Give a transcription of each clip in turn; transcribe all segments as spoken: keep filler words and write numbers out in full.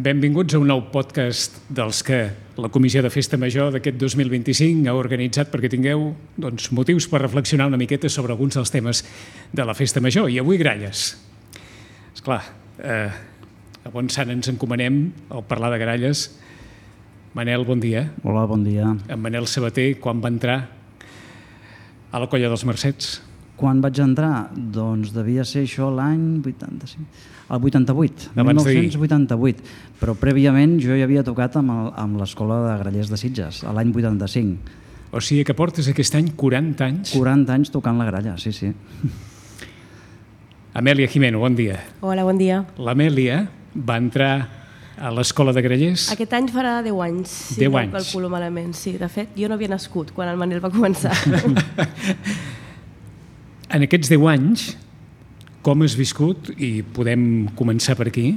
Benvinguts a un nou podcast dels que la Comissió de Festa Major d'aquest dos mil vint-i-cinc ha organitzat perquè tingueu doncs, motius per reflexionar una miqueta sobre alguns dels temes de la Festa Major. I avui gralles. Esclar, eh, a bon sant ens encomanem al parlar de gralles. Manel, bon dia. Hola, bon dia. En Manel Sabater, quan va entrar a la Colla dels Mercets? Quan vaig entrar? Doncs devia ser això l'any vuitanta-cinc, el vuitanta-vuit, Abans mil nou-cents vuitanta-vuit. Però prèviament jo ja havia tocat amb, el, amb l'Escola de Grallers de Sitges, a l'any vuitanta-cinc. O sigui que portes aquest any quaranta anys. quaranta anys tocant la gralla, sí, sí. Amèlia Jimeno, bon dia. Hola, bon dia. L'Amèlia va entrar a l'Escola de Grallers. Aquest any farà deu anys, si deu no anys. calculo malament. Sí, de fet, jo no havia nascut quan el Manel va començar. En aquests deu anys, com has viscut, i podem començar per aquí,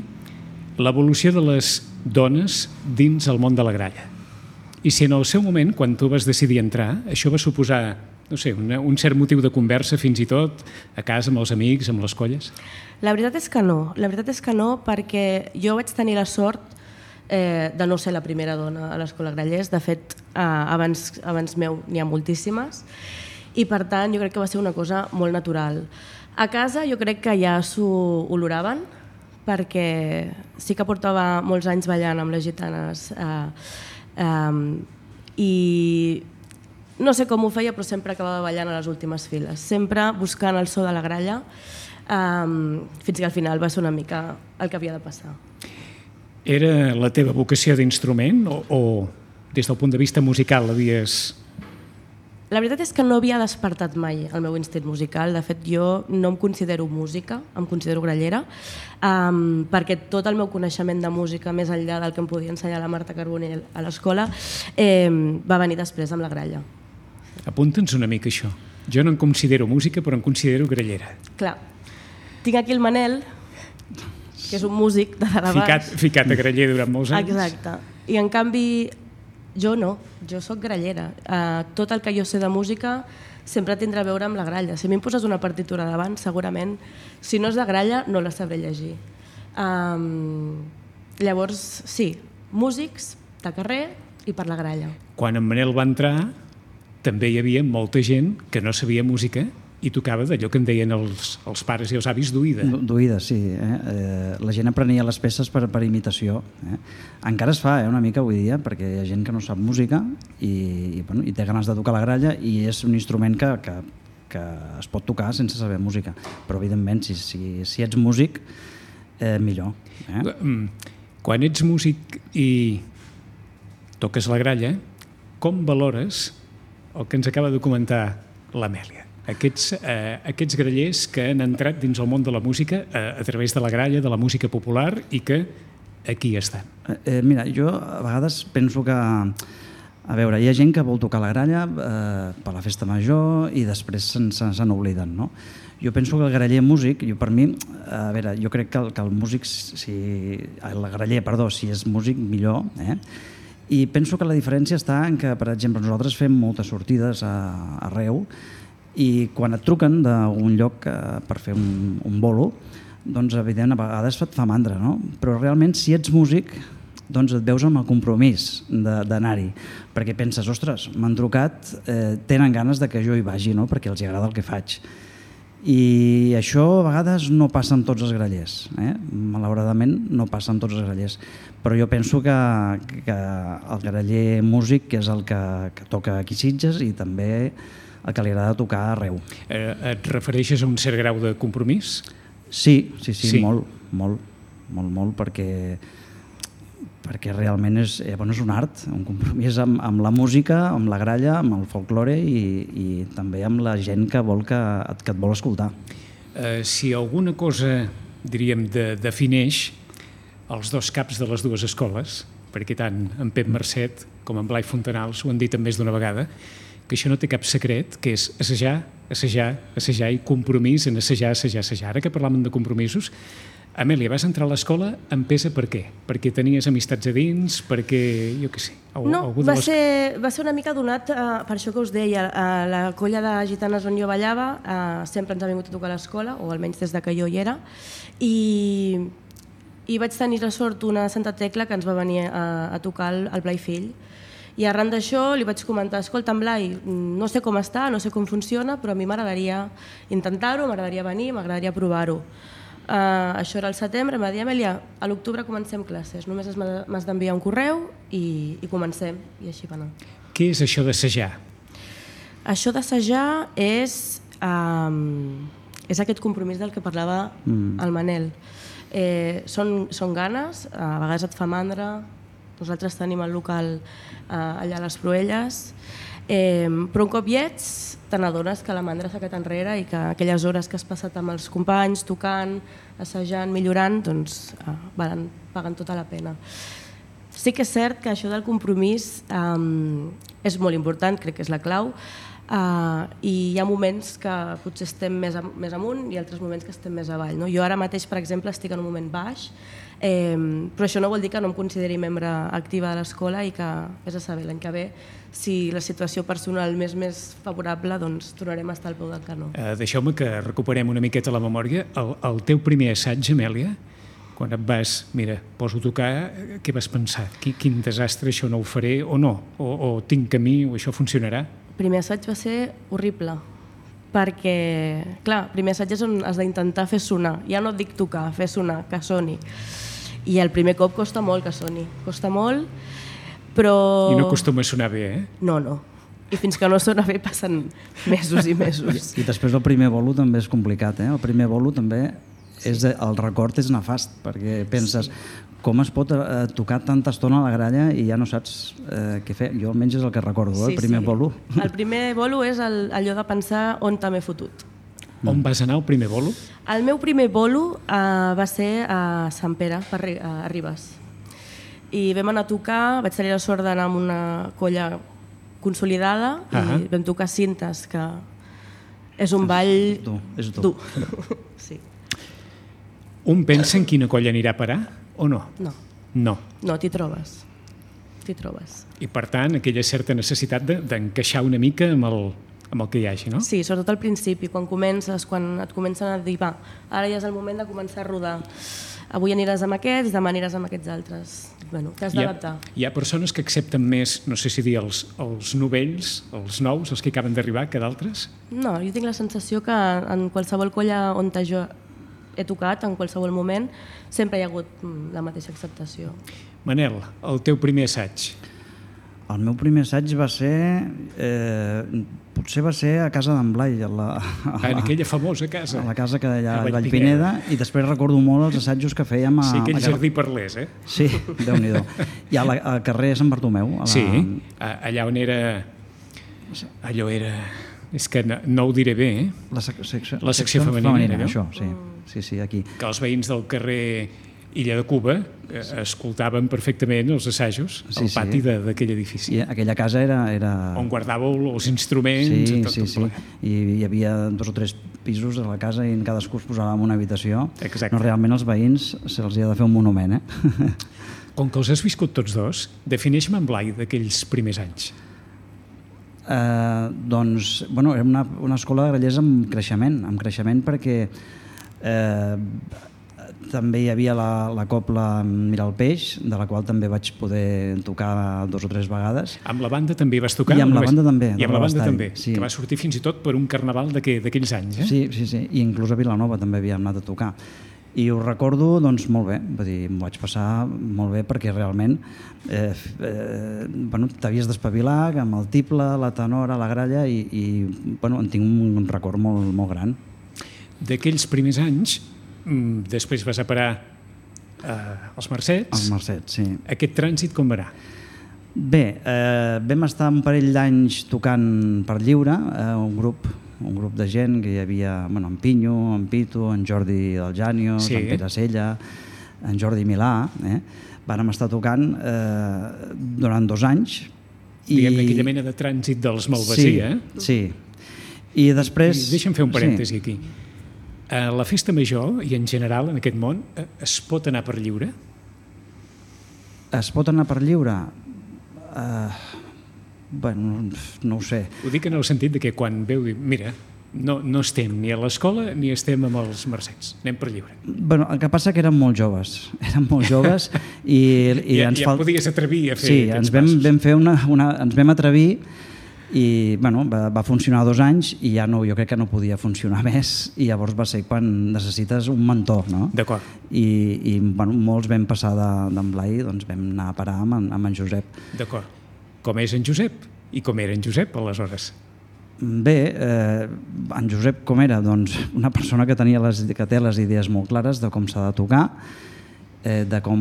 l'evolució de les dones dins el món de la gralla? I si en el seu moment, quan tu vas decidir entrar, això va suposar, no sé, una, un cert motiu de conversa fins i tot, a casa, amb els amics, amb les colles? La veritat és que no. La veritat és que no, perquè jo vaig tenir la sort eh, de no ser la primera dona a l'Escola Grallers. De fet, eh, abans, abans meu n'hi ha moltíssimes. I per tant jo crec que va ser una cosa molt natural. A casa jo crec que ja s'ho oloraven, perquè sí que portava molts anys ballant amb les gitanes eh, eh, i no sé com ho feia, però sempre acabava ballant a les últimes files, sempre buscant el so de la gralla, eh, fins que al final va ser una mica el que havia de passar. Era la teva vocació d'instrument o, o des del punt de vista musical havies... La veritat és que no havia despertat mai el meu instint musical. De fet, jo no em considero música, em considero grallera, um, perquè tot el meu coneixement de música, més enllà del que em podia ensenyar la Marta Carbonell a l'escola, eh, va venir després amb la gralla. Apunta'ns una mica això. Jo no em considero música, però em considero grallera. Clar, tinc aquí el Manel, que és un músic de dalt a baix. Ficat, ficat a graller durant molts anys. Exacte. I en canvi... Jo no, jo sóc grallera. Uh, tot el que jo sé de música sempre tindrà a veure amb la gralla. Si a mi em poses una partitura davant, segurament, si no és de gralla, no la sabré llegir. Um, llavors, sí, músics de carrer i per la gralla. Quan en Manel va entrar, també hi havia molta gent que no sabia música i tocava d'allò que en deien els, els pares i els avis d'oïda. D'oïda, sí. Eh? Eh, la gent aprenia les peces per, per imitació. Eh? Encara es fa eh, una mica avui dia, perquè hi ha gent que no sap música i, i, bueno, i té ganes de tocar la gralla i és un instrument que, que, que es pot tocar sense saber música. Però, evidentment, si, si, si ets músic, eh, millor. Eh? Quan ets músic i toques la gralla, com valores el que ens acaba de comentar l'Amèlia? Aquests, eh, aquests grallers que han entrat dins el món de la música eh, a través de la gralla, de la música popular i que aquí estan. Eh, mira, jo a vegades penso que, a veure, hi ha gent que vol tocar la gralla eh, per la festa major i després se'n se, se n'obliden, no? Jo penso que el graller músic, jo per mi, a veure, jo crec que el, que el músic, si, el graller, perdó, si és músic, millor, eh? I penso que la diferència està en que, per exemple, nosaltres fem moltes sortides a, arreu i quan et truquen d'un lloc eh, per fer un, un bolo, doncs evident a vegades et fa mandra, no? Però realment si ets músic doncs et veus amb el compromís d'anar-hi, perquè penses, ostres, m'han trucat, eh, tenen ganes de que jo hi vagi, no? Perquè els agrada el que faig. I això a vegades no passa amb tots els grallers, eh? Malauradament no passa amb tots els grallers, però jo penso que, que el graller músic és el que, que toca aquí a Sitges i també el que li agrada tocar arreu. Eh, et refereixes a un cert grau de compromís? Sí, sí, sí, sí. molt, molt, molt, molt, perquè, perquè realment és, eh, bueno, és un art, un compromís amb, amb la música, amb la gralla, amb el folklore i, i també amb la gent que, vol que, que et vol escoltar. Eh, si alguna cosa, diríem, de, defineix els dos caps de les dues escoles, perquè tant en Pep Marcet com en Blai Fontanals ho han dit més d'una vegada, que això no té cap secret, que és assajar, assajar, assajar i compromís en assajar, assajar, assajar. Ara que parlàvem de compromisos, Amèlia, vas entrar a l'escola amb pesa per què? Perquè tenies amistats a dins, perquè, jo què sé... Algú, no, algú va, les... ser, va ser una mica donat uh, per això que us deia. Uh, la colla de gitanes on jo ballava uh, sempre ens ha vingut a tocar a l'escola, o almenys des de que jo hi era, i i vaig tenir la sort una Santa Tecla que ens va venir a, a tocar el, el Blai Fill. I arran d'això li vaig comentar, escolta, en Blai, no sé com està, no sé com funciona, però a mi m'agradaria intentar-ho, m'agradaria venir, m'agradaria provar-ho. Uh, això era el setembre, em va dir, Amèlia, a l'octubre comencem classes, només m'has d'enviar un correu i, i comencem, i així va anar. Què és això d'assajar? Això d'assajar és, um, és aquest compromís del que parlava mm. el Manel. Eh, són, són ganes, a vegades et fa mandra. Nosaltres tenim el local eh, allà a les Proelles, eh, però un cop hi ets te n'adones que la mandra s'ha quedat enrere i que aquelles hores que has passat amb els companys, tocant, assajant, millorant, doncs eh, valen, paguen tota la pena. Sí que és cert que això del compromís eh, és molt important, crec que és la clau, Uh, i hi ha moments que potser estem més, am més amunt i altres moments que estem més avall, no? Jo ara mateix, per exemple, estic en un moment baix, eh, però això no vol dir que no em consideri membre activa de l'escola i que, és a saber, l'any que ve, si la situació personal més més favorable, doncs tornarem a estar al peu del canó. Uh, Deixeu-me que recuperem una miqueta la memòria. El, el teu primer assaig, Amèlia, quan et vas, mira, poso a tocar, què vas pensar? Quin, quin desastre, això no ho faré o no? O, o tinc camí o això funcionarà? El primer assaig va ser horrible, perquè, clar, el primer assaig és on has d'intentar fer sonar. Ja no et dic tocar, fer sonar, que soni. I el primer cop costa molt que soni, costa molt, però... I no acostuma a sonar bé, eh? No, no. I fins que no sona bé passen mesos i mesos. I, i després el primer bolo també és complicat, eh? El primer bolo també, és, el record és nefast, perquè penses... Sí. Com es pot eh, tocar tanta estona a la gralla i ja no saps eh, què fer? Jo almenys és el que recordo, sí, el primer sí. bolo. El primer bolo és el, allò de pensar on t'he fotut. Mm. On vas anar el primer bolo? El meu primer bolo eh, va ser a Sant Pere, a Ribes. I vam anar a tocar, vaig tenir la sort d'anar amb una colla consolidada uh -huh. i vam tocar Cintes, que és un ball dur. És dur. dur. Sí. Un pensa en quina colla anirà a parar? O no? No. No. No, t'hi trobes. T'hi trobes. I per tant, aquella certa necessitat d'encaixar de, una mica amb el, amb el que hi hagi, no? Sí, sobretot al principi, quan comences, quan et comencen a dir, va, ara ja és el moment de començar a rodar. Avui aniràs amb aquests, demà aniràs amb aquests altres. Bueno, t'has d'adaptar. Hi, hi ha persones que accepten més, no sé si dir, els, els novells, els nous, els que acaben d'arribar, que d'altres? No, jo tinc la sensació que en qualsevol colla on jo he tocat, en qualsevol moment, sempre hi ha hagut la mateixa acceptació. Manel, el teu primer assaig? El meu primer assaig va ser... Eh, potser va ser a casa d'en Blai, a la, a la, en aquella famosa casa. A la casa que hi ha a Vallpineda, i després recordo molt els assajos que fèiem a... Sí, aquell a, jardí Parlés, eh? Sí, Déu-n'hi-do. I a la, al carrer Sant Bartomeu. A la... Sí, allà on era... Allò era... És que no, no ho diré bé, eh? La, sec secció, la secció femenina, femenina això, sí. Sí, sí, aquí. Que els veïns del carrer Illa de Cuba eh, escoltaven perfectament els assajos sí, al pati sí. d'aquell edifici. I aquella casa era... era... On guardàveu els instruments... Sí, tot, sí, tot sí. I hi havia dos o tres pisos de la casa i en cadascú es posava en una habitació. Exacte. No, realment els veïns se'ls ha de fer un monument, eh? Com que els has viscut tots dos, defineix-me en Blai d'aquells primers anys. Eh, doncs, bueno, era una, una escola de grallers amb creixement, amb creixement perquè eh, també hi havia la, la copla Mirar el Peix, de la qual també vaig poder tocar dos o tres vegades. Amb la banda també vas tocar? I amb la banda també. I amb la banda també, sí. Que va sortir fins i tot per un carnaval d'aquells anys, eh? Sí, sí, sí, i inclús a Vilanova també havíem anat a tocar. I ho recordo, doncs, molt bé, vull dir, m'ho vaig passar molt bé perquè realment eh, eh, bueno, t'havies d'espavilar amb el tiple, la tenora, la gralla i, i bueno, en tinc un record molt, molt gran. D'aquells primers anys, després vas a parar eh, als Mercets. Els Mercets, sí. Aquest trànsit com va anar? Bé, eh, vam estar un parell d'anys tocant per lliure, eh, un grup un grup de gent que hi havia, bueno, en Pinyo, en Pitu, en Jordi del Janio, sí. En Pere Sella, en Jordi Milà, eh? Vàrem estar tocant eh, durant dos anys. Diguem-ne aquella mena de trànsit dels Malvasí, sí, eh? Sí, i després... I deixa'm fer un parèntesi sí. aquí. A la festa major, i en general en aquest món, es pot anar per lliure? Es pot anar per lliure? Uh, bueno, no ho sé. Ho dic en el sentit de que quan veu dir, mira, no, no estem ni a l'escola ni estem amb els mercets, anem per lliure. Bueno, el que passa que érem molt joves, érem molt joves i, i ja, ens ja fal... podies atrevir a fer sí, aquests ens vam, passos. vam fer una, una, ens vam atrevir i bueno, va, va funcionar dos anys i ja no, jo crec que no podia funcionar més i llavors va ser quan necessites un mentor, no? D'acord. I, i bueno, molts vam passar d'en Blai, doncs vam anar a parar amb en, amb en Josep. D'acord. Com és en Josep? I com era en Josep aleshores? Bé, eh, en Josep com era? Doncs una persona que, tenia les, que té les idees molt clares de com s'ha de tocar, eh, de com,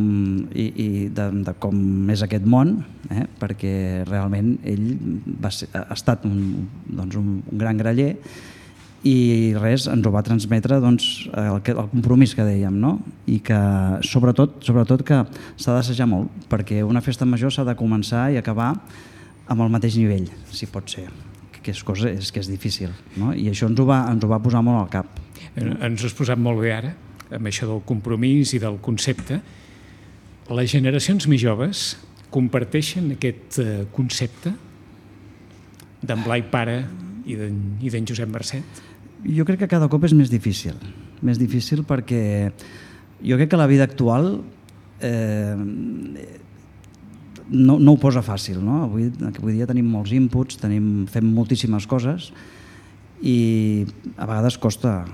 i, i de, de com és aquest món, eh, perquè realment ell va ser, ha estat un, doncs un, un gran graller i res, ens ho va transmetre doncs, el, el compromís que dèiem, no? I que sobretot, sobretot que s'ha d'assajar molt, perquè una festa major s'ha de començar i acabar amb el mateix nivell, si pot ser, que és, cosa, és que és difícil, no? I això ens ho, va, ens ho va posar molt al cap. Ens ho has posat molt bé ara, amb això del compromís i del concepte. Les generacions més joves comparteixen aquest concepte d'en Blai pare i d'en Josep Marcet? Jo crec que cada cop és més difícil, més difícil perquè jo crec que la vida actual eh, no, no ho posa fàcil, no? Avui, avui dia tenim molts inputs, tenim, fem moltíssimes coses i a vegades costa,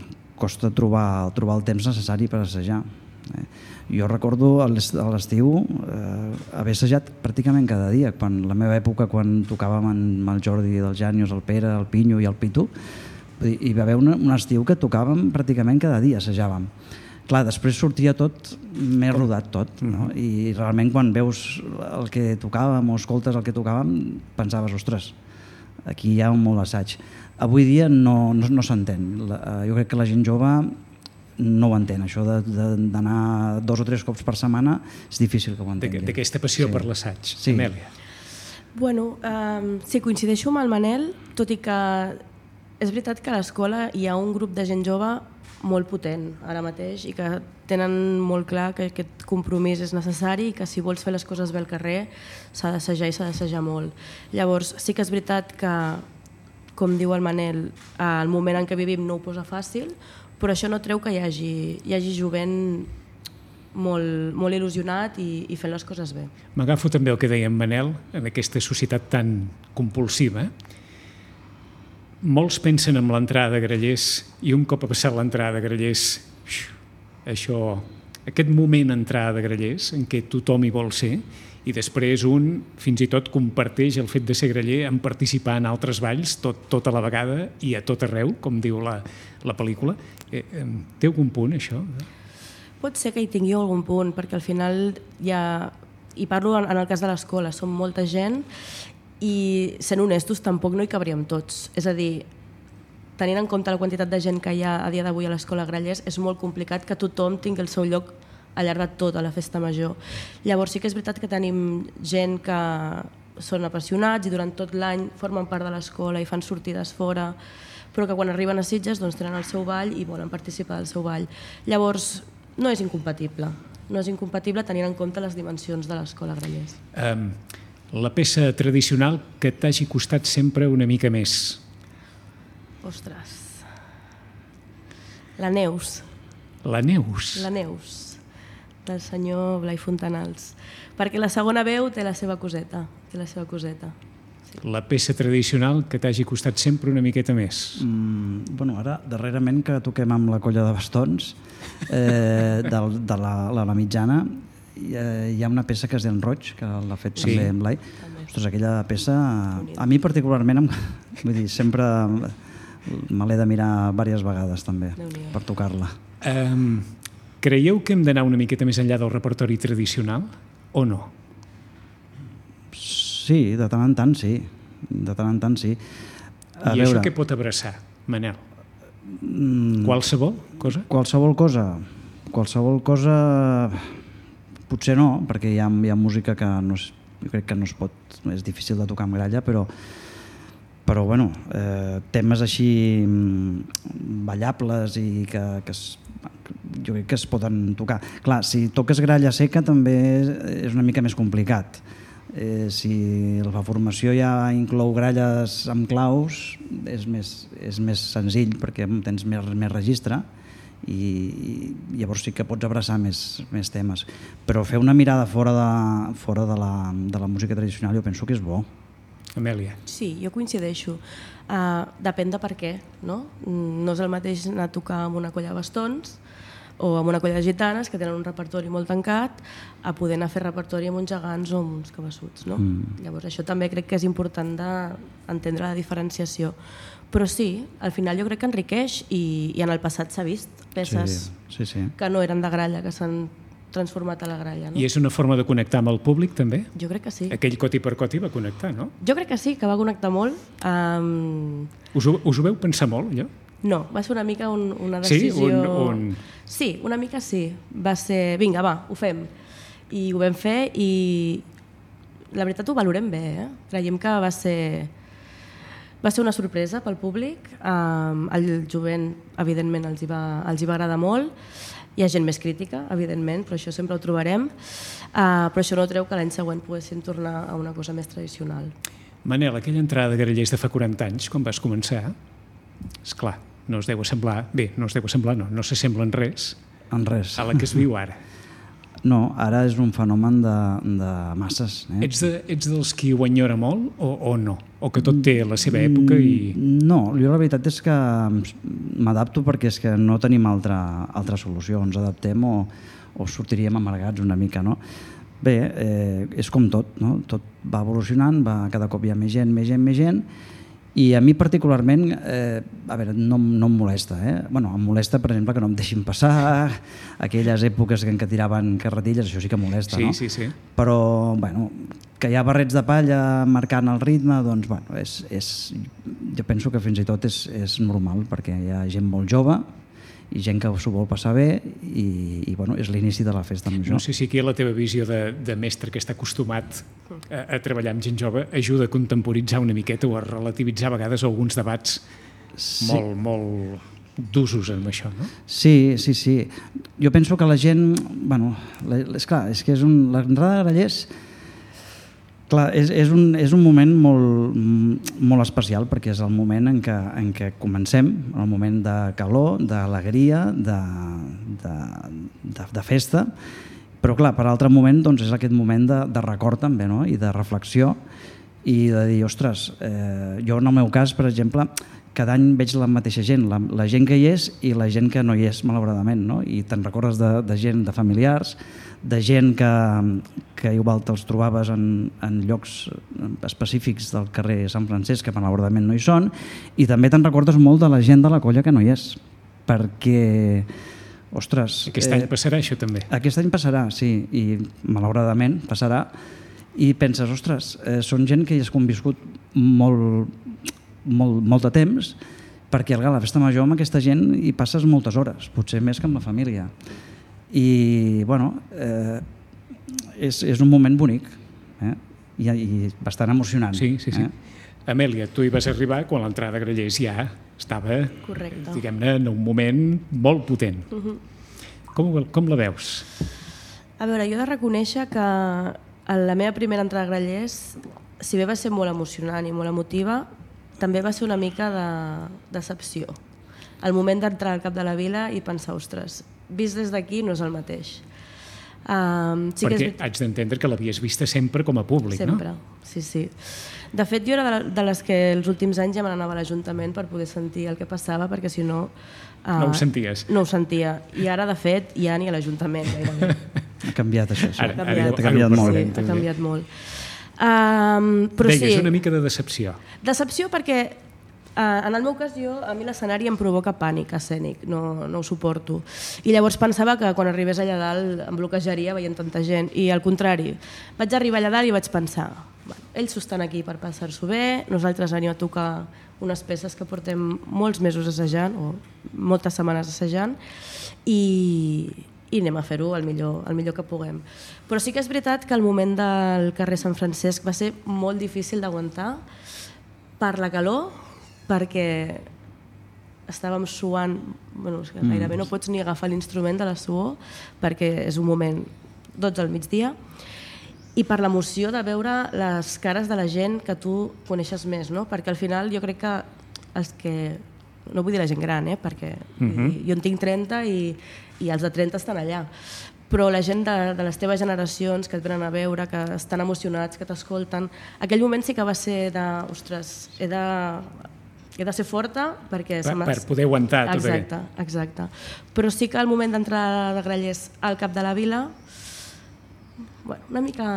costa trobar, trobar el temps necessari per assajar. Eh? Jo recordo a l'estiu eh, haver assajat pràcticament cada dia. Quan, la meva època, quan tocàvem amb el Jordi, el Jànius, el Pere, el Pinyo i el Pitu, hi va haver un, un estiu que tocàvem pràcticament cada dia, assajàvem. Clar, després sortia tot més rodat tot, no? I realment quan veus el que tocàvem o escoltes el que tocàvem pensaves, ostres, aquí hi ha un molt assaig. Avui dia no, no, no s'entén. Jo crec que la gent jove no ho entén, això d'anar dos o tres cops per setmana és difícil que ho entengui. D'aquesta passió sí. per l'assaig, sí. Amèlia. Bueno, um, sí, coincideixo amb el Manel, tot i que és veritat que a l'escola hi ha un grup de gent jove molt potent ara mateix i que tenen molt clar que aquest compromís és necessari i que si vols fer les coses bé al carrer s'ha d'assajar i s'ha d'assajar molt. Llavors sí que és veritat que, com diu el Manel, el moment en què vivim no ho posa fàcil, però això no treu que hi hagi, hi hagi jovent molt, molt il·lusionat i, i fent les coses bé. M'agafo també el que deia en Manel, en aquesta societat tan compulsiva. Molts pensen en l'entrada de grallers i un cop ha passat l'entrada de grallers, això, aquest moment entrada de grallers en què tothom hi vol ser i després un fins i tot comparteix el fet de ser graller en participar en altres balls tot, tota la vegada i a tot arreu, com diu la, la pel·lícula. Eh, eh, té algun punt, això? Pot ser que hi tingui algun punt, perquè al final hi ha, i parlo en, en el cas de l'escola, som molta gent i sent honestos tampoc no hi cabríem tots. És a dir, tenint en compte la quantitat de gent que hi ha a dia d'avui a l'escola Grallers, és molt complicat que tothom tingui el seu lloc al llarg de tot a la festa major. Llavors sí que és veritat que tenim gent que són apassionats i durant tot l'any formen part de l'escola i fan sortides fora, però que quan arriben a Sitges doncs, tenen el seu ball i volen participar del seu ball. Llavors no és incompatible, no és incompatible tenint en compte les dimensions de l'escola Grallers. Um... La peça tradicional que t'hagi costat sempre una mica més? Ostres... La Neus. La Neus? La Neus, del senyor Blai Fontanals. Perquè la segona veu té la seva coseta. Té la seva coseta. Sí. La peça tradicional que t'hagi costat sempre una miqueta més? Mm, bueno, ara, darrerament que toquem amb la colla de bastons, eh, de, de la, la, la mitjana, hi ha una peça que és d'en Roig, que l'ha fet sí. també en Blai. Ostres, aquella peça, a mi particularment, vull dir, sempre me l'he de mirar diverses vegades també per tocar-la. Um, creieu que hem d'anar una miqueta més enllà del repertori tradicional o no? Sí, de tant en tant sí. De tant en tant sí. A I veure, això què pot abraçar, Manel? Mm, qualsevol cosa? Qualsevol cosa. Qualsevol cosa... Potser no, perquè hi ha, hi ha música que no és, jo crec que no es pot, és difícil de tocar amb gralla, però, però bueno, eh, temes així ballables i que, que es, jo crec que es poden tocar. Clar, si toques gralla seca també és una mica més complicat. Eh, si la formació ja inclou gralles amb claus, és més, és més senzill perquè tens més, més registre i, i llavors sí que pots abraçar més, més temes. Però fer una mirada fora, de, fora de, la, de la música tradicional jo penso que és bo. Amèlia. Sí, jo coincideixo. Uh, depèn de per què, no? No és el mateix anar a tocar amb una colla de bastons o amb una colla de gitanes que tenen un repertori molt tancat a poder anar a fer repertori amb uns gegants o amb uns cabassuts, no? Mm. Llavors això també crec que és important d'entendre la diferenciació. Però sí, al final jo crec que enriqueix i, i en el passat s'ha vist peces sí, sí, sí. que no eren de gralla, que s'han transformat a la gralla. No? I és una forma de connectar amb el públic, també? Jo crec que sí. Aquell coti per coti va connectar, no? Jo crec que sí, que va connectar molt. Um... Us, ho, us ho veu pensar molt, allò? No, va ser una mica un, una decisió... Sí? Un, un... Sí, una mica sí. Va ser, vinga, va, ho fem. I ho vam fer i la veritat ho valorem bé, eh? Creiem que va ser... Va ser una sorpresa pel públic. Um, el jovent, evidentment, els hi, va, els hi va agradar molt. Hi ha gent més crítica, evidentment, però això sempre ho trobarem. Uh, però això no treu que l'any següent poguéssim tornar a una cosa més tradicional. Manel, aquella entrada de grallers de fa quaranta anys, quan vas començar, esclar, no es deu assemblar, bé, no es deu assemblar, no, no s'assembla en res, en res a la que es viu ara. No, ara és un fenomen de, de masses. Eh? Ets, de, ets dels qui ho enyora molt o, o no? O que tot té la seva època i... No, jo la veritat és que m'adapto perquè és que no tenim altra, altra solució. Ens adaptem o, o sortiríem amargats una mica, no? Bé, eh, és com tot, no? Tot va evolucionant, va, cada cop hi ha més gent, més gent, més gent, i a mi particularment, eh, a veure, no, no em molesta, eh? Bueno, em molesta, per exemple, que no em deixin passar, aquelles èpoques en què tiraven carretilles, això sí que molesta, sí, no? Sí, sí. Però, bueno, que hi ha barrets de palla marcant el ritme, doncs, bueno, és, és, jo penso que fins i tot és, és normal, perquè hi ha gent molt jove i gent que s'ho vol passar bé i, i bueno, és l'inici de la festa major. No sé si aquí la teva visió de, de mestre que està acostumat a, a treballar amb gent jove ajuda a contemporitzar una miqueta o a relativitzar a vegades alguns debats sí. molt, molt d'usos amb això, no? Sí, sí, sí. Jo penso que la gent... Bueno, és clar, és que és un, l'entrada de grallers... Clar, és, és, un, és un moment molt, molt especial perquè és el moment en què, en què comencem, el moment de calor, d'alegria, de, de, de, de festa, però clar, per altre moment doncs, és aquest moment de, de record també, no? I de reflexió i de dir, ostres, eh, jo en el meu cas, per exemple, cada any veig la mateixa gent, la, la gent que hi és i la gent que no hi és, malauradament, no? I te'n recordes de, de gent, de familiars, de gent que, que igual te'ls trobaves en, en llocs específics del carrer Sant Francesc, que malauradament no hi són, i també te'n recordes molt de la gent de la colla que no hi és, perquè, ostres... Aquest any passarà això també. Aquest any passarà, sí, i malauradament passarà, i penses, ostres, eh, són gent que hi has conviscut molt, molt, molt de temps, perquè a la festa major amb aquesta gent hi passes moltes hores, potser més que amb la família. I, bueno, eh, és, és un moment bonic, eh? I, i bastant emocionant. Sí, sí, sí. Eh? Amèlia, tu hi vas arribar quan l'entrada de grallers ja estava, correcte, diguem-ne, en un moment molt potent. Uh-huh. com, com la veus? A veure, jo he de reconèixer que la meva primera entrada a grallers, si bé va ser molt emocionant i molt emotiva, també va ser una mica de decepció. El moment d'entrar al cap de la vila i pensar, ostres, vist des d'aquí no és el mateix. Um, sí Perquè que és... haig d'entendre que l'havies vista sempre com a públic, sempre, no? Sempre, sí, sí. De fet, jo era de les que els últims anys ja me n'anava a l'Ajuntament per poder sentir el que passava, perquè si no... Uh, no ho senties? No ho sentia. I ara, de fet, ja ni a l'Ajuntament. Ha canviat això. Ara, ha canviat, ara, ha canviat ara molt. Sí, ha canviat molt. Um, però Deies, sí, una mica de decepció. Decepció perquè Uh, en el meu cas, jo, a mi l'escenari em provoca pànic escènic, no, no ho suporto. I llavors pensava que quan arribés allà dalt em bloquejaria veient tanta gent. I al contrari, vaig arribar allà dalt i vaig pensar, bueno, ells s'ho estan aquí per passar-s'ho bé, nosaltres anem a tocar unes peces que portem molts mesos assajant, o moltes setmanes assajant, i, i anem a fer-ho el millor, el millor que puguem. Però sí que és veritat que el moment del carrer Sant Francesc va ser molt difícil d'aguantar per la calor, perquè estàvem suant, bueno, és que gairebé no pots ni agafar l'instrument de la suor perquè és un moment dotze al migdia i per l'emoció de veure les cares de la gent que tu coneixes més, no? Perquè al final jo crec que els que... No vull dir la gent gran, eh? Perquè uh-huh. jo en tinc trenta i, i els de trenta estan allà. Però la gent de, de les teves generacions que et venen a veure, que estan emocionats, que t'escolten, aquell moment sí que va ser de... Ostres, he de... he de ser forta perquè... Per, per poder aguantar tot aquest. Exacte, exacte. Però sí que al moment d'entrar de Grallers al cap de la vila, bueno, una mica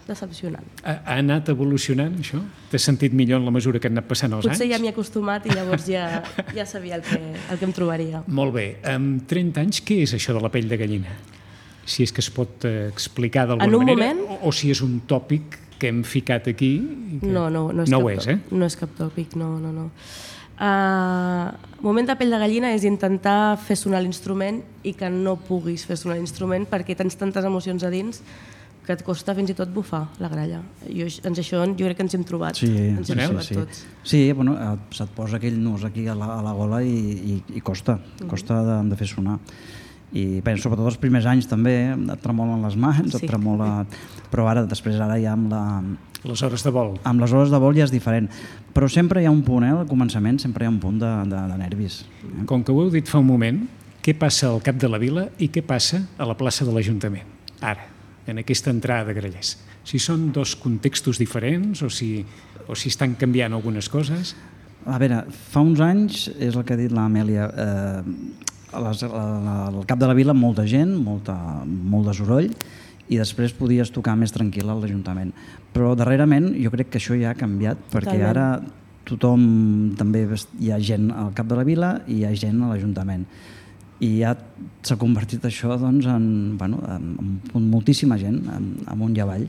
decepcionant. Ha, ha anat evolucionant, això? T'has sentit millor en la mesura que han anat passant els Potser anys? Potser ja m'hi he acostumat i llavors ja, ja sabia el que, el que em trobaria. Molt bé. Amb trenta anys, què és això de la pell de gallina? Si és que es pot eh, explicar d'alguna manera, moment... o, o si és un tòpic que hem ficat aquí... I que... No, no, no és, no cap, ho és, eh? no és cap tòpic, no, no, no. Uh, moment de pell de gallina és intentar fer sonar l'instrument i que no puguis fer sonar l'instrument perquè tens tantes emocions a dins que et costa fins i tot bufar la gralla. Jo, ens això jo crec que ens hem trobat. Sí, ens hem sí, trobat sí. tots. Sí, bueno, se't posa aquell nus aquí a la, a la gola i, i, i costa, costa de, de fer sonar. I penso, sobretot els primers anys també, et tremolen les mans, sí. et tremola... Però ara, després, ara ja amb la... Les hores de vol. Amb les hores de vol ja és diferent. Però sempre hi ha un punt, eh, al començament, sempre hi ha un punt de, de, de nervis. Eh? Com que ho heu dit fa un moment, què passa al cap de la vila i què passa a la plaça de l'Ajuntament? Ara, en aquesta entrada de Grallers. Si són dos contextos diferents o si, o si estan canviant algunes coses? A veure, fa uns anys, és el que ha dit l'Amèlia, eh, les, al cap de la vila molta gent, molta, molt de soroll, i després podies tocar més tranquil a l'Ajuntament. Però darrerament jo crec que això ja ha canviat, perquè Totalment. ara tothom, també hi ha gent al cap de la vila i hi ha gent a l'Ajuntament. I ja s'ha convertit això doncs, en, bueno, en, en moltíssima gent, en, amunt i avall.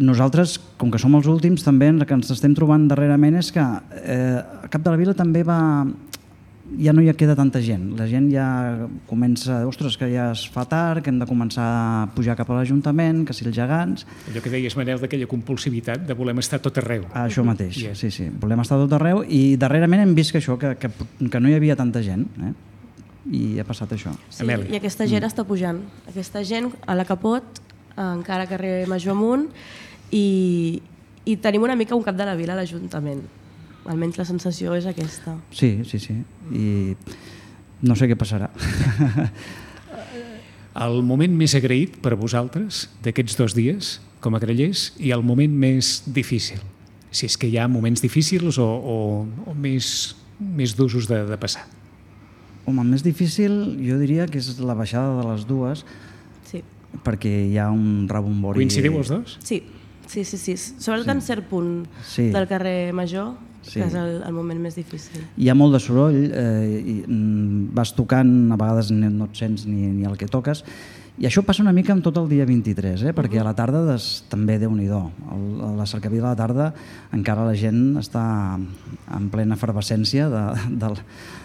Nosaltres, com que som els últims, també el que ens estem trobant darrerament és que eh, al cap de la vila també va... ja no hi queda tanta gent. La gent ja comença, ostres, que ja es fa tard, que hem de començar a pujar cap a l'Ajuntament, que si els gegants... Allò que deies, Manel, d'aquella compulsivitat de volem estar tot arreu. Ah, això mateix, yeah. sí, sí. Volem estar tot arreu i darrerament hem vist que això, que, que, que no hi havia tanta gent, eh? I ha passat això. Sí, i aquesta gent mm. està pujant. Aquesta gent a la Capot, encara carrer Major amunt, i, i tenim una mica un cap de la vila a l'Ajuntament. Almenys la sensació és aquesta. Sí, sí, sí. I no sé què passarà. El moment més agraït per a vosaltres d'aquests dos dies com a grallers i el moment més difícil. Si és que hi ha moments difícils o, o, o més, més d'usos de, de passar. Home, el més difícil jo diria que és la baixada de les dues, sí. perquè hi ha un rebombori... Coincidiu els dos? Sí, sí, sí. sí. Sobretot sí. en cert punt sí. del carrer Major, sí. que és el, el moment més difícil. Hi ha molt de soroll, eh, i, mm, vas tocant, a vegades no et sents ni, ni el que toques, i això passa una mica amb tot el dia vint-i-tres, eh? perquè a la tarda des, també Déu-n'hi-do. A la cercavila a la tarda encara la gent està en plena efervescència de, de,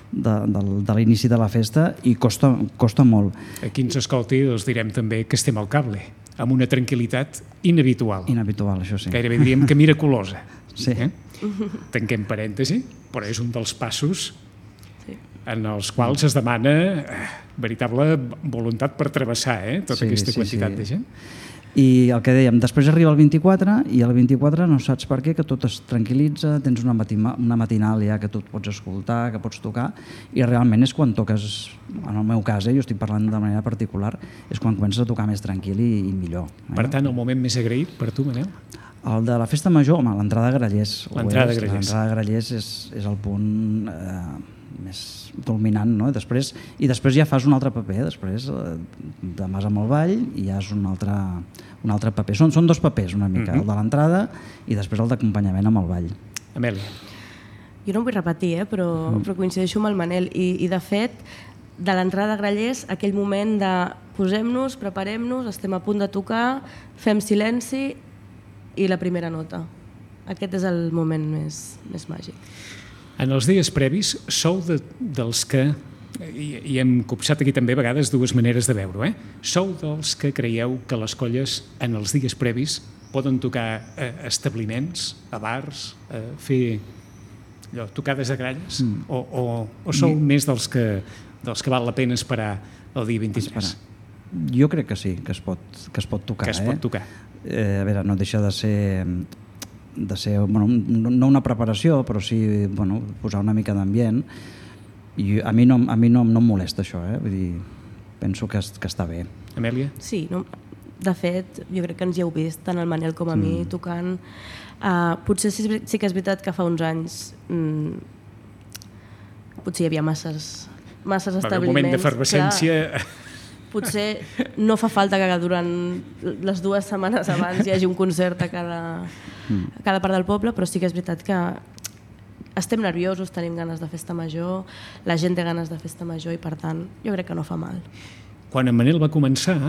de, de, de l'inici de la festa i costa, costa molt. A qui ens escolti els direm també que estem al cable, amb una tranquil·litat inhabitual. Inhabitual, això sí. Gairebé diríem que miraculosa. Sí. Eh? Tanquem parèntesi, però és un dels passos en els quals es demana veritable voluntat per travessar eh, tota sí, aquesta sí, quantitat sí. de gent. I el que dèiem, després arriba el vint-i-quatre i el vint-i-quatre no saps per què, que tot es tranquil·litza, tens una, matina, una matinal ja que tu et pots escoltar, que pots tocar, i realment és quan toques, en el meu cas, eh, jo estic parlant de manera particular, és quan comences a tocar més tranquil i, i millor. Eh? Per tant, el moment més agraït per tu, Manel? El de la festa major, home, l'entrada de Grallers. L'entrada de Grallers. L'entrada de Grallers és, és el punt eh, més culminant, no? Després, i després ja fas un altre paper, després eh, demàs amb el ball i ja és un altre, un altre paper. Són, són dos papers una mica, uh-huh. el de l'entrada i després el d'acompanyament amb el ball. Amèlia. Jo no em vull repetir, eh, però, mm. però coincideixo amb el Manel i, i de fet, de l'entrada de Grallers, aquell moment de posem-nos, preparem-nos, estem a punt de tocar, fem silenci i la primera nota. Aquest és el moment més, més màgic. En els dies previs sou de, dels que, i, i hem copsat aquí també a vegades dues maneres de veure-ho, eh? Sou dels que creieu que les colles en els dies previs poden tocar a establiments, a bars, a fer allò, tocades de gralles, mm. o, o, o sou I... més dels que, dels que val la pena esperar el dia vint-i-tres? Esperar. Jo crec que sí, que es pot, que es pot tocar. Que es pot eh? tocar. eh, a veure, no deixa de ser, de ser bueno, no una preparació, però sí bueno, posar una mica d'ambient. I a mi no, a mi no, no em molesta això, eh? Vull dir, penso que, que està bé. Amèlia? Sí, no? De fet, jo crec que ens hi heu vist, tant el Manel com a mm. mi, tocant. Uh, potser sí, sí que és veritat que fa uns anys mm, potser hi havia masses, masses establiments. Un moment d'efervescència... Potser no fa falta que durant les dues setmanes abans hi hagi un concert a cada, a cada part del poble, però sí que és veritat que estem nerviosos, tenim ganes de festa major, la gent té ganes de festa major i per tant jo crec que no fa mal. Quan en Manel va començar,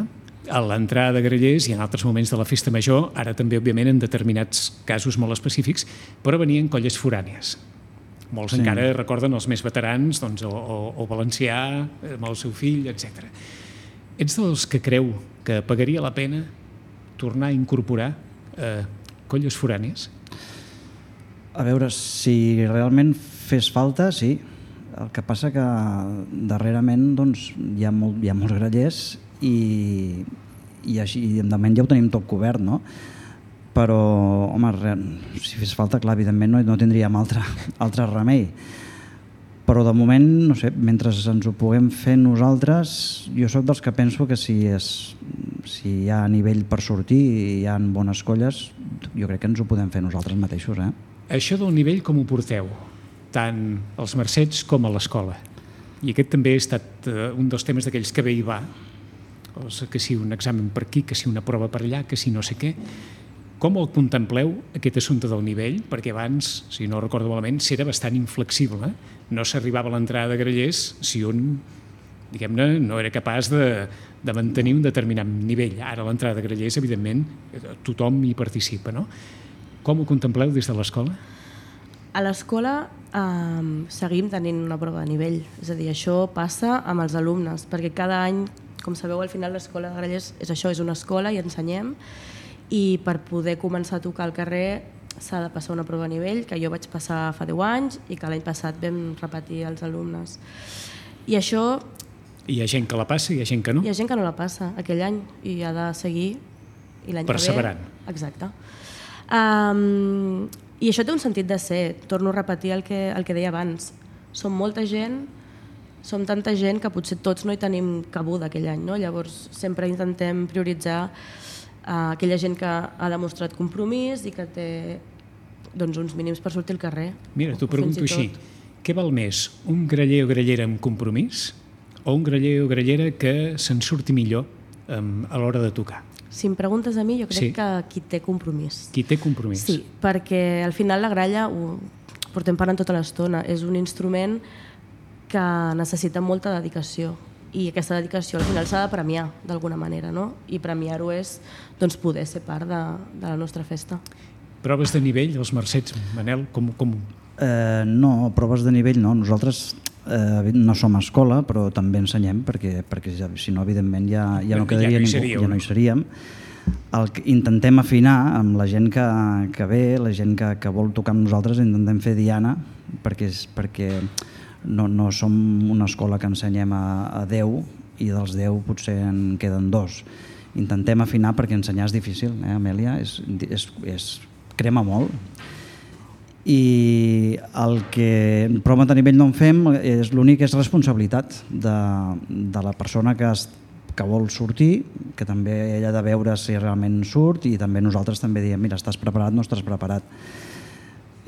a l'entrada de Grallers i en altres moments de la festa major, ara també òbviament en determinats casos molt específics, però venien colles forànies. Molts sí. encara recorden els més veterans, doncs, o, o, o Valencià, amb el seu fill, etcètera. Ets dels que creu que pagaria la pena tornar a incorporar eh, colles forànies? A veure, si realment fes falta, sí. El que passa que darrerament doncs, hi ha, molt, hi ha molts grallers i, i així, de moment ja ho tenim tot cobert, no? Però, home, si fes falta, clar, evidentment no, no tindríem altre, altre remei. Però de moment, no sé, mentre ens ho puguem fer nosaltres, jo sóc dels que penso que si, és, si hi ha nivell per sortir i hi ha bones colles, jo crec que ens ho podem fer nosaltres mateixos. Eh? Això del nivell com ho porteu? Tant als Mercets com a l'escola. I aquest també ha estat un dels temes d'aquells que bé hi va. Que si un examen per aquí, que si una prova per allà, que si no sé què. Com el contempleu, aquest assumpte del nivell? Perquè abans, si no recordo malament, s'era bastant inflexible. No s'arribava a l'entrada de Grallers si un, diguem-ne, no era capaç de, de mantenir un determinat nivell. Ara a l'entrada de Grallers, evidentment, tothom hi participa, no? Com ho contempleu des de l'escola? A l'escola eh, seguim tenint una prova de nivell. És a dir, això passa amb els alumnes, perquè cada any, com sabeu, al final l'escola de Grallers és això, és una escola i ensenyem, i per poder començar a tocar al carrer s'ha de passar una prova a nivell que jo vaig passar fa deu anys i que l'any passat vam repetir als alumnes. I això... Hi ha gent que la passa i hi ha gent que no? Hi ha gent que no la passa aquell any i ha de seguir i l'any que ve... Perseverant. Exacte. Um, I això té un sentit de ser. Torno a repetir el que, el que deia abans. Som molta gent, som tanta gent que potser tots no hi tenim cabuda aquell any, no? Llavors sempre intentem prioritzar Uh, aquella gent que ha demostrat compromís i que té doncs, uns mínims per sortir al carrer. Mira, t'ho pregunto així. Què val més, un graller o grallera amb compromís o un graller o grallera que se'n surti millor um, a l'hora de tocar? Si em preguntes a mi, jo crec sí. que qui té compromís. Qui té compromís. Sí, perquè al final la gralla, ho portem parlant tota l'estona, és un instrument que necessita molta dedicació. I aquesta dedicació al final s'ha de premiar d'alguna manera, no? I premiar-ho és doncs, poder ser part de, de la nostra festa. Proves de nivell, els Mercets, Manel, com... com... Eh, no, proves de nivell no. Nosaltres eh, no som escola, però també ensenyem, perquè, perquè si no, evidentment, ja, ja no quedaria ja no ningú, seríeu, ja no hi seríem. El que intentem afinar amb la gent que, que ve, la gent que, que vol tocar amb nosaltres, intentem fer diana, perquè... perquè No, no som una escola que ensenyem a, a deu i dels deu potser en queden dos. Intentem afinar perquè ensenyar és difícil, eh, Amèlia? És, és, és, crema molt. I el que prova de nivell no en fem, és l'únic és responsabilitat de, de la persona que, es, que vol sortir, que també ella ha de veure si realment surt i també nosaltres també diem, mira, estàs preparat, no estàs preparat.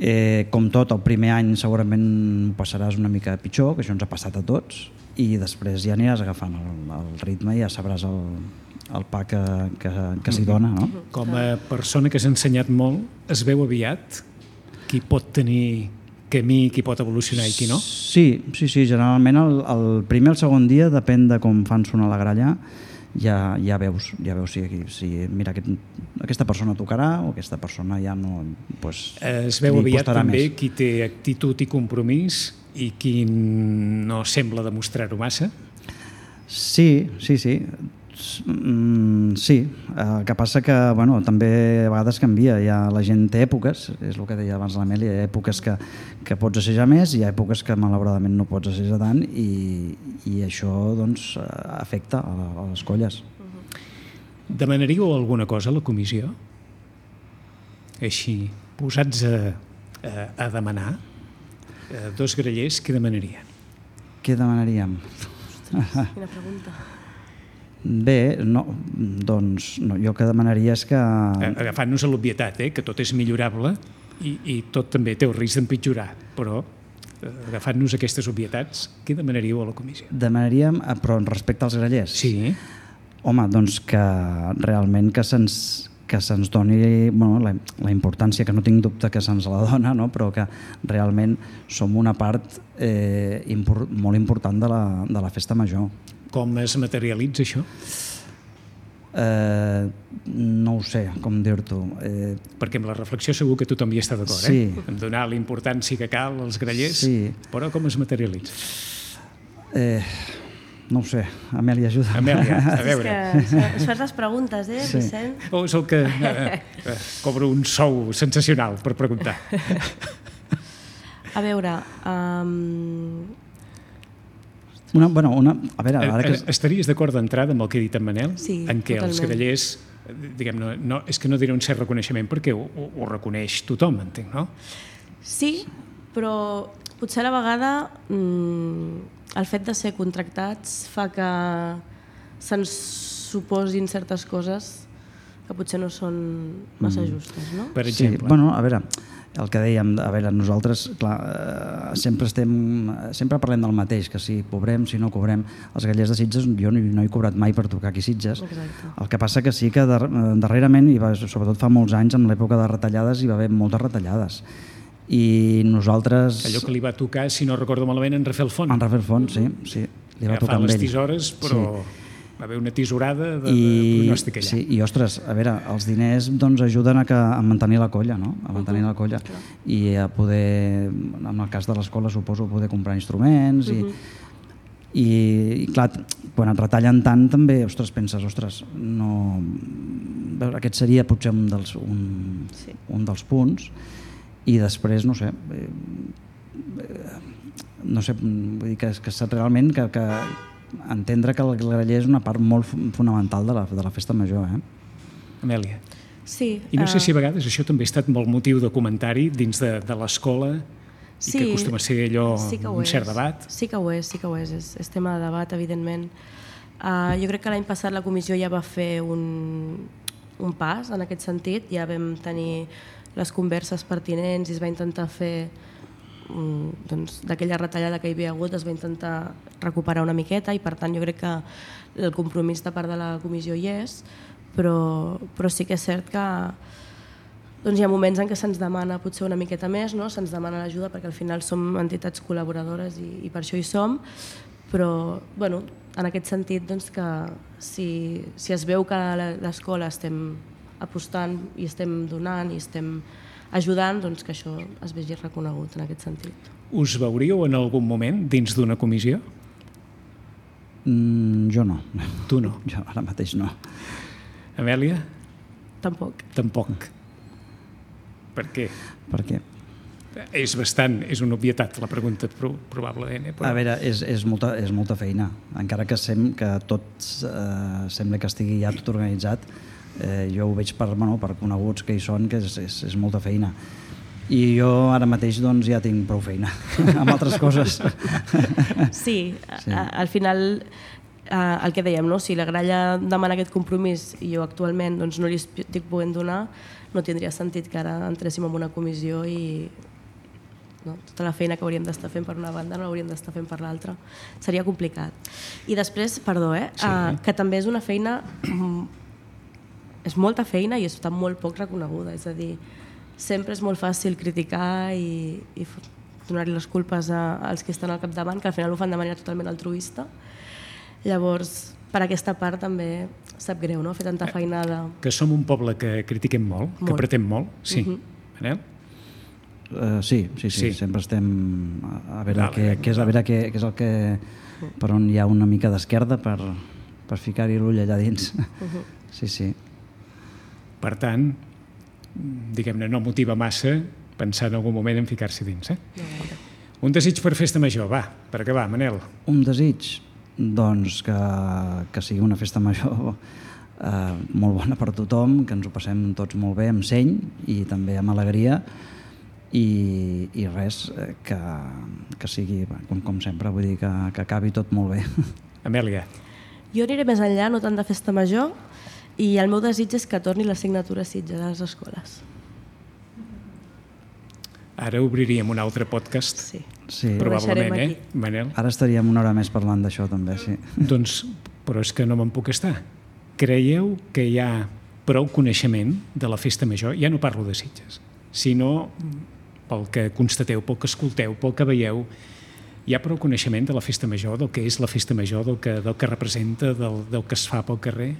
Eh, com tot, el primer any segurament ho passaràs una mica pitjor, que això ens ha passat a tots, i després ja aniràs agafant el, el ritme i ja sabràs el, el pa que, que, que s'hi dona. No? Com a persona que s'ha ensenyat molt, es veu aviat qui pot tenir camí, qui pot evolucionar i qui no? Sí, sí, sí, generalment el, el primer o el segon dia, depèn de com fan sonar la gralla, ja, ja veus, ja veus si, si mira, aquest, aquesta persona tocarà o aquesta persona ja no... Pues, es veu aviat també més. Qui té actitud i compromís i qui no sembla demostrar-ho massa? Sí, sí, sí. Mm, sí, el que passa que bueno, també a vegades canvia, ja la gent té èpoques, és el que deia abans l'Amèlia, hi ha èpoques que, que pots assajar més, hi ha èpoques que malauradament no pots assajar tant i, i això doncs, afecta a, a les colles. Demanaríeu alguna cosa a la comissió? Així, posats a, a, a demanar, a dos grallers, què demanarien? Què demanaríem? Quina pregunta. Bé, no, doncs no, jo que demanaria és que... Agafant-nos a l'obvietat, eh, que tot és millorable i, i tot també té el risc d'empitjorar, però agafant-nos aquestes obvietats, què demanaríeu a la comissió? Demanaríem, però respecte als grallers? Sí. Home, doncs que realment que se'ns que se'ns doni bueno, la, la importància, que no tinc dubte que se'ns la dona, no? Però que realment som una part eh, impor, molt important de la, de la festa major. Com es materialitza això? Eh, no ho sé, com dir-t'ho. Eh, Perquè amb la reflexió segur que tothom hi està d'acord, sí. eh? En donar la importància que cal als grallers, sí. Però com es materialitza? Eh, no ho sé, Amèlia, ajuda. Amèlia, a veure. És que es fas les preguntes, eh, Sí. Vicent? O és el que eh, eh, cobro un sou sensacional per preguntar. A veure... Um... Una, bueno, una, a veure, ara que... Estaries d'acord d'entrada amb el que ha dit en Manel? Sí, en què els totalment. grallers, diguem, no, no, és que no diré un cert reconeixement perquè ho, ho, ho reconeix tothom, entenc, no? Sí, però potser a la vegada mmm, el fet de ser contractats fa que se'ns suposin certes coses que potser no són massa justes, no? Per Sí, exemple. bueno, a veure, el que dèiem, a veure, nosaltres, clar, eh, sempre estem, sempre parlem del mateix, que si cobrem, si no cobrem. Els grallers de Sitges, jo no, no he cobrat mai per tocar aquí a Sitges. Exacte. El que passa que sí que dar, darrerament, i va, sobretot fa molts anys, en l'època de retallades, hi va haver moltes retallades. I nosaltres... Allò que li va tocar, si no recordo malament, en Rafael Font. En Rafael Font, sí, sí, li va tocar Agafar amb les ell. tisores, però va haver una tisorada de, de I, pronòstic allà. sí, i ostres, a veure, els diners doncs, ajuden a, que, a mantenir la colla, no? A mantenir la colla. I a poder, en el cas de l'escola, suposo, poder comprar instruments i, i, i clar, quan et retallen tant també, ostres, penses, ostres, no... Aquest seria potser un dels, un, Sí. un dels punts, i després, no sé, eh, no sé, vull dir que, que realment que, que entendre que el graller és una part molt fonamental de la, de la festa major, eh? Amèlia. Sí. I no sé eh, si a vegades això també ha estat molt motiu de comentari dins de, de l'escola i que acostuma a ser allò sí que ho un cert és. debat. Sí que ho és, sí que ho és, és, és tema de debat, evidentment. Uh, jo crec que l'any passat la comissió ja va fer un, un pas en aquest sentit, ja vam tenir les converses pertinents i es va intentar fer um, doncs, d'aquella retallada que hi havia hagut, es va intentar recuperar una miqueta i per tant jo crec que el compromís de part de la comissió hi és, però, però sí que és cert que doncs hi ha moments en què se'ns demana potser una miqueta més, no? Se'ns demana l'ajuda perquè al final som entitats col·laboradores i, i per això hi som, però bueno, en aquest sentit doncs, que si, si es veu que a l'escola estem apostant i estem donant i estem ajudant, doncs que això es vegi reconegut en aquest sentit. Us veuríeu en algun moment dins d'una comissió? Mm, jo no. Tu no. Jo ara mateix no. Amèlia? Tampoc. Tampoc. Per què? Per què? És bastant, és una obvietat la pregunta, pro, probablement. Eh? Però... A veure, és, és, molta, és molta feina. Encara que, sem, que tot eh, sembla que estigui ja tot organitzat, eh, jo ho veig per, bueno, per coneguts que hi són, que és, és, és molta feina. I jo ara mateix doncs, ja tinc prou feina amb altres coses. Sí, Sí. a, al final eh, el que dèiem, no? Si la gralla demana aquest compromís i jo actualment doncs, no li estic podent donar, no tindria sentit que ara entréssim en una comissió i no? Tota la feina que hauríem d'estar fent per una banda no l'hauríem d'estar fent per l'altra. Seria complicat. I després, perdó, eh, Sí. uh, que també és una feina, mm, és molta feina i està molt poc reconeguda. És a dir, sempre és molt fàcil criticar i, i donar-li les culpes a, als que estan al capdavant, que al final ho fan de manera totalment altruista. Llavors, per aquesta part també sap greu, no?, fer tanta feinada. Que som un poble que critiquem molt, molt. que Molt. pretem molt. Sí. Mhm. Manel? Uh, sí, sí, sí, Sí. sí, sempre estem a, a veure, Vale, què, què és, a veure què, què és el que, per on hi ha una mica d'esquerda per, per ficar-hi l'ull allà dins. Uh-huh. Sí, sí. Per tant, diguem-ne, no motiva massa pensar en algun moment en ficar-s'hi dins. Eh? No gaire. Un desig per festa major, va, per acabar, Manel. Un desig, doncs, que, que sigui una festa major eh, molt bona per tothom, que ens ho passem tots molt bé, amb seny i també amb alegria, i, i res, eh, que, que sigui, com, com sempre, vull dir que, que acabi tot molt bé. Amèlia. Jo aniré més enllà, no tant de festa major, i el meu desig és que torni l'assignatura Sitges a les escoles. Ara obriríem un altre podcast, Sí. Sí. probablement, Ho eh, deixarem Manel? Ara estaríem una hora més parlant d'això també, sí. Doncs, però és que no me'n puc estar. Creieu que hi ha prou coneixement de la festa major? Ja no parlo de Sitges, sinó pel que constateu, pel que escolteu, pel que veieu, hi ha prou coneixement de la festa major, del que és la festa major, del que, del que representa, del, del que es fa pel carrer?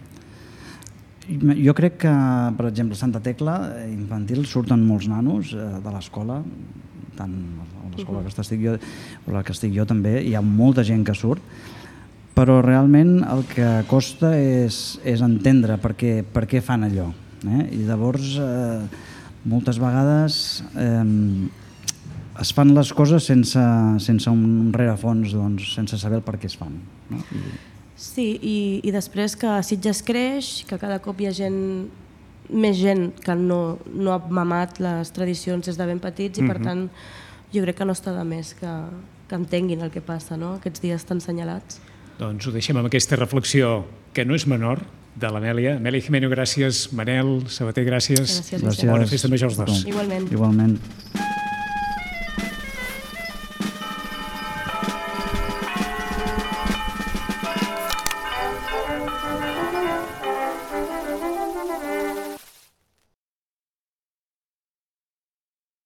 Jo crec que, per exemple, a Santa Tecla infantil surten molts nanos eh, de l'escola, tant a l'escola que estic jo o la que estic jo també, hi ha molta gent que surt, però realment el que costa és, és entendre per què, per què fan allò. Eh? I llavors, eh, moltes vegades eh, es fan les coses sense, sense un rerefons, doncs, sense saber el per què es fan. No? I... Sí, i, i després que Sitges creix, que cada cop hi ha gent, més gent que no, no ha mamat les tradicions des de ben petits i per tant jo crec que no està de més que, que entenguin el que passa, no? Aquests dies tan senyalats. Doncs ho deixem amb aquesta reflexió que no és menor de l'Amèlia. Amèlia Gimeno, gràcies. Manel Sabater, gràcies. Gràcies. Gràcies. Bona festa major als dos. Igualment. Igualment.